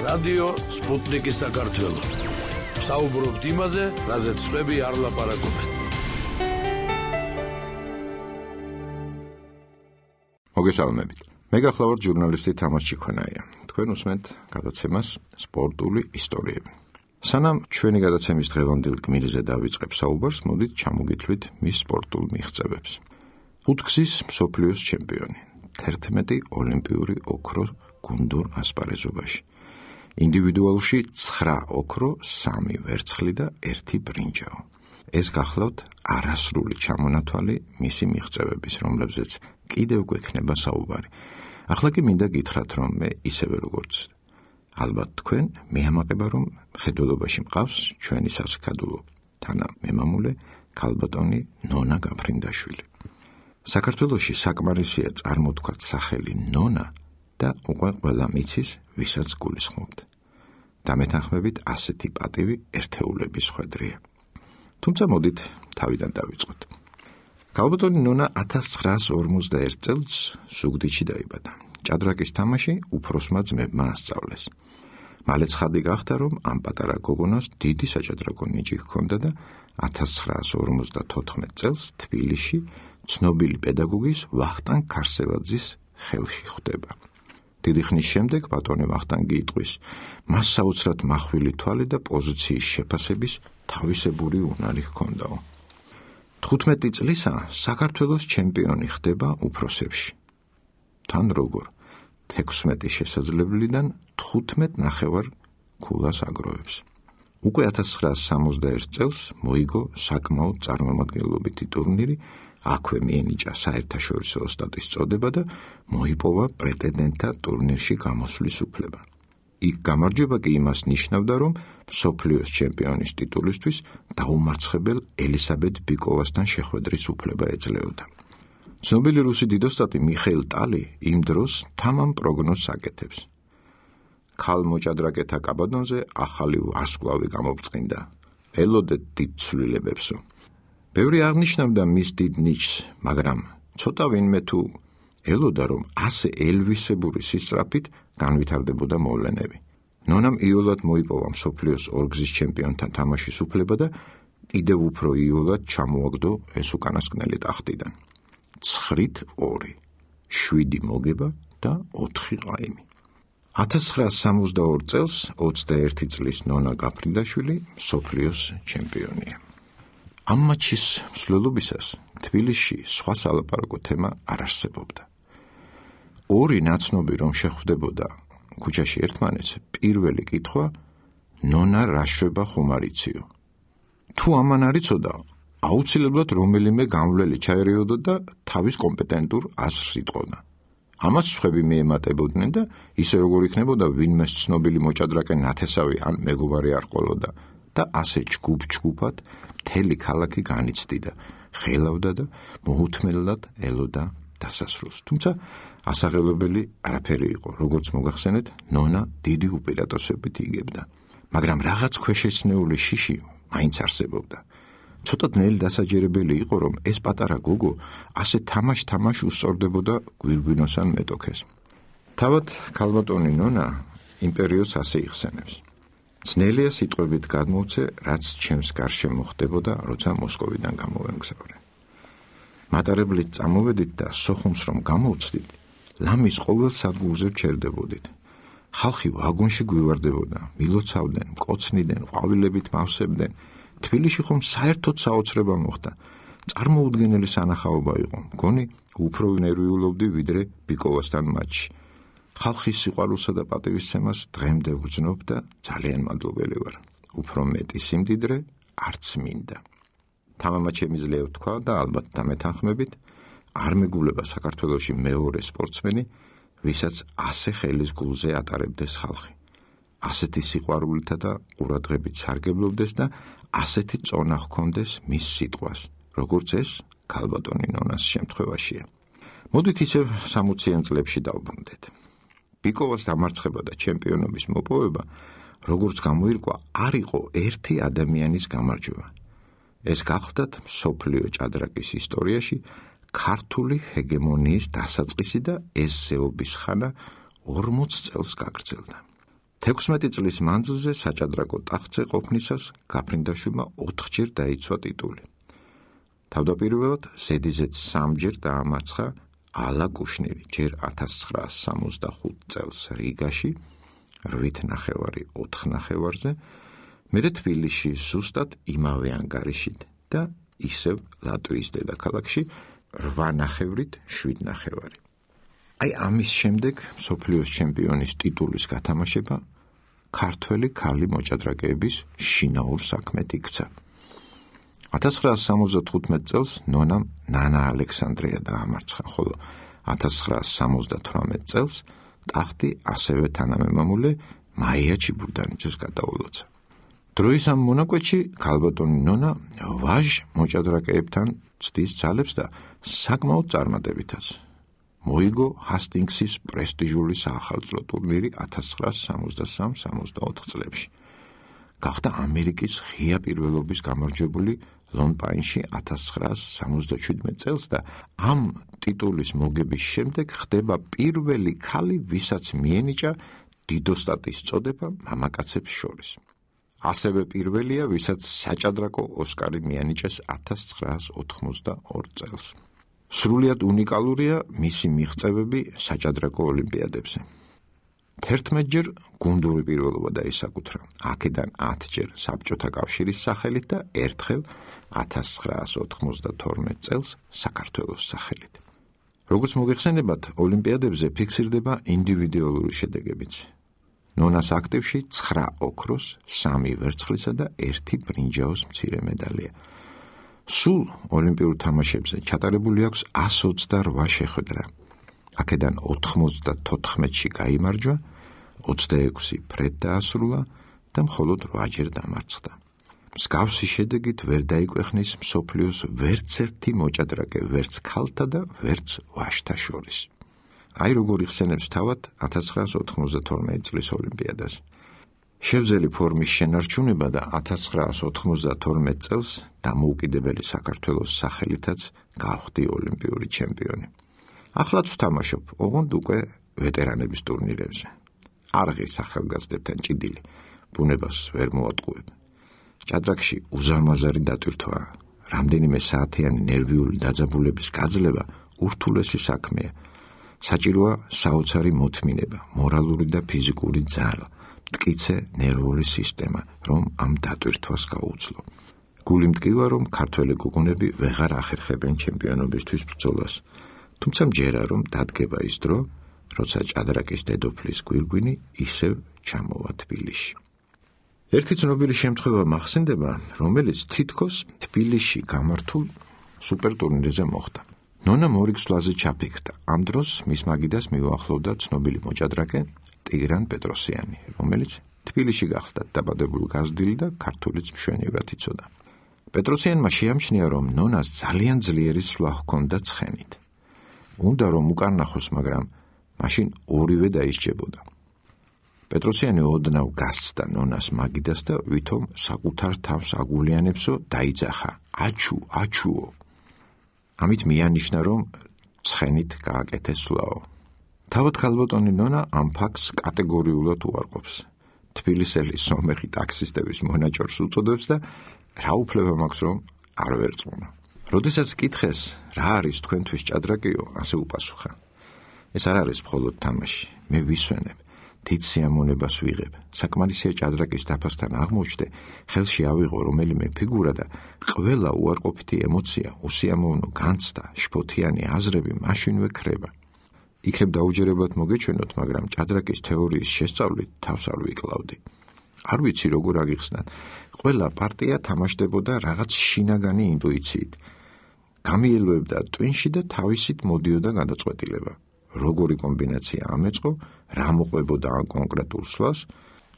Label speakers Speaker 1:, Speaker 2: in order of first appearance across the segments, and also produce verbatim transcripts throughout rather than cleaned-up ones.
Speaker 1: რადიო სპუტნიკის საქართველო. საუბრობთ იმაზე, რაზეც სხვები არ ლაპარაკობენ.
Speaker 2: მოგესალმებით. მე გახლავართ ჟურნალისტი თამარ ჩიქონაია. თქვენ უსმენთ გადაცემას სპორტული ისტორიები. სანამ ჩვენი გადაცემის დღევანდელ გმირზე დავიწყებ საუბარს, მოდით ჩამოგითვლით მის სპორტულ მიღწევებს. ხუთგზის მსოფლიოს ჩემპიონი, თერთმეტი ოლიმპიური ოქრო გუნდურ ასპარეზობაში. ინდივიდუალში ცხრა ოქრო, სამი ვერცხლი და ერთი ბრინჯაო. ეს გახლავთ არასრული ჩამონათვალი მისი მიღწევების, რომლებზეც კიდევ გვექნება საუბარი. ახლა კი მინდა გითხრათ, რომ მე ისევე როგორც ალბათ თქვენ მეამაყება, რომ მხედველობაში მყავს ჩვენი სასქადულო თანამემამულე ქალბატონი ნონა გაფრინდაშვილი. საქართველოში საკმარისია წარმოთქვათ სახელი ნონა და უკვე ყველა მიცის, ვისაც გულისხმობთ. დამეთანხმებით ასეთი პატივი ერთეულების ხვედრია. თუმცა მოდით თავიდან დავიწყოთ. ქალბატონი ნონა ათას ცხრაას ორმოცდაერთ წელს ზუგდიდში დაიბადა. ჭადრაკის თამაში უფროსმა ძმებმა ასწავლეს. მალე ცხადი გახდა, რომ ამ პატარა გოგონას დიდი საჭადრაკო ნიჭი ჰქონდა და ათას ცხრაას ორმოცდათოთხმეტ წელს თბილისში ცნობილი პედაგოგის ვახტანგ ქარსელაძის ხელში ხვდება. დიდი ხნის შემდეგ ბატონი ვახტანგი იტყვის, მას საოცრად მახვილი თვალი და პოზიციის შეფასების თავისებური უნარი ჰქონდაო. თხუთმეტი წლისა საქართველოს ჩემპიონი ხდება უფროსებში. თან როგორ თექვსმეტი შესაძლებლიდან თხუთმეტ ნახევარ ქულას აგროვებს. უკვე ათას ცხრაას სამოცდაერთ წელს მოიგო საკმაოდ წარმომადგენლობითი ტურნირი, აქვე მიენიჭა საერთაშორისო ოსტატის წოდება და მოიპოვა პრეტენდენტთა ტურნირში გამოსვლის უფლება. იქ გამარჯვება კი იმას ნიშნავდა, რომ მსოფლიოს ჩემპიონის ტიტულისთვის დაუმარცხებელ ელისაბედ ბიკოვასთან შეხვედრის უფლება ეძლეოდა. ცნობილი რუსი დიდოსტატი მიხეილ ტალი იმ დროს თამამ პროგნოზს აკეთებს. ქალ მოჭადრაკეთა კაბადონზე ახალი ვარსკვლავი გამოვწყინდა. ელოდეთ დიდ ცვლილებებსო. ბევრი აღნიშნავდა მის დიდ ნიჭს, მაგრამ ცოტა ვინმე თუ ელოდა, რომ ასე ელვისებური სისწრაფით განვითარდებოდა მოვლენები. ნონამ იოლად მოიპოვა მსოფლიოს ორგზის ჩემპიონთან თამაშის უფლება და კიდევ უფრო იოლად ჩამოაგდო ეს უკანასკნელი ტახტიდან. ცხრით ორი, შვიდი მოგება და ოთხი ყაიმი. ათას ცხრაას სამოცდაორ წელს ოცდაერთი წლის ნონა გაფრინდაშვილი მსოფლიოს ჩემპიონია. ამ მატჩის მსვლელობისას თბილისში სხვა სალაპარაკო თემა არ არსებობდა. ორი ნაცნობი რომ შეხვდებოდა ქუჩაში ერთმანეთს, პირველი კითხვა ნონა რა შვება ხომ არ იციო. თუ ამან არ იცოდა, აუცილებლად რომელიმე გამვლელი ჩაერიოდა და თავის კომპეტენტურ აზრს იტყოდა. ამას სხვები მიემატებოდნენ და ისე როგორ იქნებოდა ვინმეს ცნობილი მოჭადრაკე ნათესავი ან მეგობარი არ ყოლოდა და ასე ჯგუფ-ჯგუფად მთელი ქალაქი განიცდიდა, ხელავდა და მოუთმელად ელოდა დასასრულს. თუმცა ასაღელებელი არაფერი იყო, როგორც მოგახსენეთ, ნონა დიდი უპირატესობით იგებდა. მაგრამ რაღაც ქვეშეცნეული შიში მაინც არსებობდა. ცოტა ძნელი დასაჯერებელი იყო, რომ ეს პატარა გოგო ასე თამაშ-თამაშ უსწორდებოდა გვირგვინოსან მეტოქეს. თავად ქალბატონი ნონა იმ პერიოდს ასე იხსენებს. ძნელია სიტყვებით გადმოვცე, რაც ჩემს გარშემო ხდებოდა, როცა მოსკოვიდან გამოვემგზავრე. მატარებლით წამოვედით და სოხუმს რომ გამოვცდით, ლამის ყოველ სადგურზე ვჩერდებოდით. ხალხი ვაგონში გვივარდებოდა, მილოცავდნენ, მკოცნიდნენ, ყვავილებით მავსებდნენ. თბილისში ხომ საერთოდ საოცრება მოხდა. წარმოუდგენელი სანახაობა იყო. მგონი უფრო ნერვიულობდი ვიდრე ბიკოვასთან მატჩში. ხალხის სიყვარულსა და პატივისცემას დღემდე ვგრძნობ და ძალიან მადლობელი ვარ. უფრო მეტი სიმდიდრე არც მინდა. თამამად შემიძლია ვთქვა და ალბათ დამეთანხმებით, არ მეგულება საქართველოში მეორე სპორტსმენი, ვისაც ასე ხელის გულზე ატარებდეს ხალხი. ასეთი სიყვარულითა და ყურადღებით სარგებლობდეს და ასეთი წონა ჰქონდეს მის სიტყვას, როგორც ეს ქალბატონი ნონას შემთხვევაშია. მოდით ისევ სამოციან წლებში დავბრუნდეთ. ბიკოვას დამარცხება და ჩემპიონობის მოპოვება, როგორც გამოირკვა, არ იყო ერთი ადამიანის გამარჯვება. ეს გახლდათ მსოფლიო ჭადრაკის ისტორიაში ქართული ჰეგემონიის დასაწყისი და ეს ზეობის ხანა ორმოც წელს გაგრძელდა. თექვსმეტი წლის მანძილზე საჭადრაკო ტახტზე ყოფნისას გაფრინდაშვილმა ოთხჯერ დაიცვა ტიტული. თავდაპირველად ზედიზედ სამჯერ დაამარცხა ალა კუშნირი, ჯერ ათას ცხრაას სამოცდახუთ წელს რიგაში, რვით ნახევარი ოთხ ნახევარზე, მერე თბილისში ზუსტად იმავე ანგარიშით და ისევ ლატვიის დედაქალაქში რვა ნახევრით შვიდ ნახევარი. აი ამის შემდეგ მსოფლიოს ჩემპიონის ტიტულის გათამაშება ქართველი ქალი მოჭადრაკეების შინაურ საქმედ იქცა. ათას ცხრაას სამოცდათხუთმეტ წელს ნონამ ნანა ალექსანდრია დაამარცხა, ხოლო ათას ცხრაას სამოცდათვრამეტ წელს ტახტი ასევე თანამემამულე მაია ჩიბურდანიძეს გადაულოცა. დროის ამ მონაკვეთში ქალბატონი ნონა ვაჟ მოჭადრაკეებთან ცდის ძალებს და საკმაოდ წარმატებითაც. მოიგო ჰასტინგსის პრესტიჟული საახალწლო ტურნირი ათას ცხრაას სამოცდასამ სამოცდაოთხ წლებში. გახდა ამერიკის ღია პირველობის გამარჯვებული ლონ-პაინში ათას ცხრაას სამოცდაშვიდმეტ წელს და ამ ტიტულის მოგების შემდეგ ხდება პირველი ქალი, ვისაც მიენიჭა დიდოსტატის წოდება მამაკაცებს შორის. ასევე პირველია, ვისაც საჭადრაკო ოსკარი მიანიჭეს ათას ცხრაას ოთხმოცდაორ წელს. სრულიად უნიკალურია მისი მიღწევები საჭადრაკო ოლიმპიადებზე. თერთმეტჯერ გუნდური პირველობა დაისაკუთრა, აქედან ათჯერ საბჭოთა კავშირის სახელით და ერთხელ ათას ცხრაას ოთხმოცდათორმეტ წელს საქართველოს სახელით. როგორც მოგეხსენებათ, ოლიმპიადებზე ფიქსირდება ინდივიდუალური შედეგებიც. ნონას აქტივში ცხრა ოქროს, სამი ვერცხლისა და ერთი ბრინჯაოს მცირე მედალია. სულ ოლიმპიურ თამაშებზე ჩატარებული აქვს ასს ოცდარვა შეხვედრა. აქედან ოთხმოცდათოთხმეტში გაიმარჯვა, ოცდაექვსი ფრედ დაასრულა და მხოლოდ რვაჯერ დამარცხდა. მსგავსი შედეგით ვერ დაიკვეხნის მსოფლიოს ვერც ერთი მოჭადრაკე, ვერც ქალთა და ვერც ვაჟთა შორის. აი როგორ იხსენებს თავად ათას ცხრაას ოთხმოცდათორმეტ წლის ოლიმპიადას. შევძელი ფორმის შენარჩუნება და ათას ცხრაას ოთხმოცდათორმეტ წელს დამოუკიდებელი საქართველოს სახელითაც გავხდი ოლიმპიური ჩემპიონი. ახლაც ვთამაშობ, ოღონდ უკვე ვეტერანების ტურნირებზე. არღის ახალგაზრდებთან ჭიდილი, ბუნებას ვერ მოატყუებ. ჭადრაკში უზარმაზარი დატვირთვაა, რამდენიმე საათიანი ნერვიული დაძაბულების გაძლება ურთულესი საქმეა. საჭიროა საოცარი მოთმინება, მორალური და ფიზიკური ძალა, მტკიცე ნერვული სისტემა, რომ ამ დატვირთვას გაუძლო. გული მტკივა, რომ ქართველი გოგონები ვეღარ ახერხებენ ჩემპიონობისთვის ბრძოლას, თუმცა მჯერა, რომ დადგება ის დრო, როცა ჭადრაკის დედოფლის გვირგვინი ისევ ჩამოვა თბილისში. ერთი ცნობილი შემთხვევა მახსენდება, რომელიც თითქოს თბილისში გამართულ სუპერტურნირზე მოხდა. ნონა მორიგსვლაზე ჩაფიქრდა. ამ დროს მის მაგიდას მიუახლოვდა ცნობილი მოჭადრაკე ტიგრან პეტროსიანი, რომელიც თბილისში გახლდათ დაბადებული გაზრდილი და ქართულიც მშვენივრად იცოდა. პეტროსიანმა შეამჩნია, რომ ნონას ძალიან ძლიერი სვლა ჰქონდა ცხენით. უნდა რომ უკარნახოს, მაგრამ მაშინ ორივე დაისჯებოდა. პეტროსიანი ოდნავ გასცდა ნონას მაგიდას და ვითომ საკუთარ თავს აგულიანებსო დაიძახა: აჩუ, აჩუო. ამით მიანიშნა, რომ ცხენით გააკეთე სვლაო. თავად ქალბატონი ნონა ამ ფაქტს კატეგორიულად უარყოფს. თბილისელი სომეხი ტაქსისტების მონაჭორს უწოდებს და რა უფლება მაქვს, რომ არ ვერწმუნო. როდესაც კითხეს, რა არის თქვენთვის ჭადრაკიო, ასე უპასუხა: ეს არ არის მხოლოდ თამაში, მე ვისვენებ, დიდ სიამოვნებას ვიღებ. საკმარისია ჭადრაკის დაფასთან აღმოჩნდე, ხელში ავიღო რომელიმე ფიგურა და ყველა უარყოფითი ემოცია, უსიამოვნო განცდა, შფოთიანი აზრები მაშინვე ქრება. იქნებ დაუჯერებლად მოგეჩვენოთ, მაგრამ ჭადრაკის თეორიის შესწავლით თავს არ ვიკლავდი. არ ვიცი როგორ აგიხსნათ, ყველა პარტია თამაშდებოდა რაღაც შინაგანი ინტუიციით. გამიელვებდა ტვინში და თავისით მოდიოდა გადაწყვეტილება. როგორი კომბინაცია ამეწყო, რა მოყვებოდა ამ კონკრეტულ სვლას,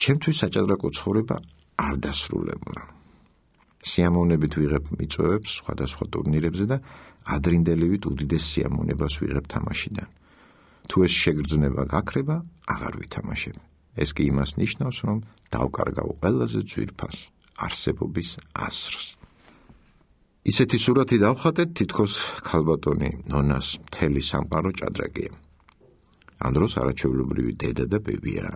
Speaker 2: ჩემთვის საჭადრაკო ცხოვრება არ დასრულებულა. სიამოვნებით ვიღებ მიწვევებს სხვადასხვა ტურნირებზე და ადრინდელივით უდიდეს სიამოვნებას ვიღებ თამაშიდან. თუ ეს შეგრძნება გაქრება, აღარ ვითამაშებ. ეს კი იმას ნიშნავს, რომ დავკარგავ ყველაზე ძვირფას არსებობის ასრს. ისეთი სურათი დავხატეთ, თითქოს ქალბატონი ნონას მთელი სამყარო ჭადრაკია. ამ დროს არაჩვეულებრივი დედა და ბებია.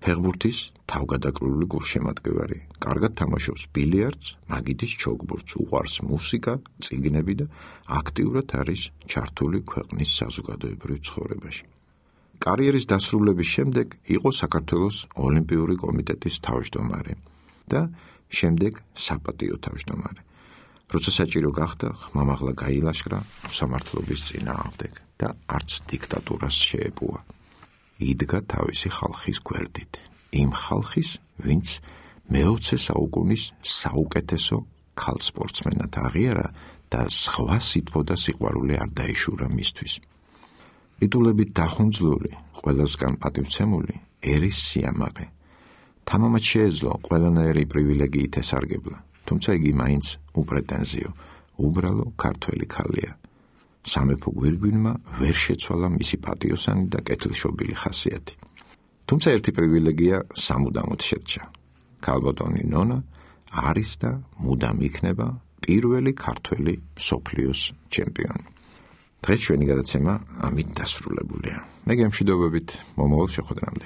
Speaker 2: ფეხბურთის თავგადაკრული გულშემატკივარი, კარგად თამაშობს ბილიარდს, მაგიდის ჩოგბურთს, უყვარს მუსიკა, წიგნები და აქტიურად არის ჩართული ქვეყნის საზოგადოებრივ ცხოვრებაში. კარიერის დასრულების შემდეგ იყო საქართველოს ოლიმპიური კომიტეტის თავმჯდომარე და შემდეგ საპატიო თავმჯდომარე. როცა საჭირო გახდა, ხმამაღლა გაილაშქრა უსამართლობის წინააღმდეგ და არც დიქტატურას შეეპუა. იდგა თავისი ხალხის გვერდით, იმ ხალხის, ვინც მეოცე საუკუნის საუკეთესო ქალ სპორტსმენად აღიარა და სხვა სითბო და სიყვარული არ დაიშურა მისთვის. ტიტულებით დახუნძლული, ყველასგან პატივცემული, ერის სიამაყე. თამამად შეეძლო ყველანაირი პრივილეგიით ესარგებლა, თუმცა იგი მაინც უპრეტენზიო, უბრალო ქართველი ქალია. სამეფო გვირგვინმა ვერ შეცვალა მისი პატიოსანი და კეთილშობილი ხასიათი. თუმცა ერთი პრივილეგია სამუდამოდ შერჩა. ქალბატონი ნონა არის და მუდამ იქნება პირველი ქართველი მსოფლიოს ჩემპიონი. დღეს ჩვენი გადაცემა ამით დასრულებულია. მე გემშვიდობებით მომავალ შეხვედრამდე.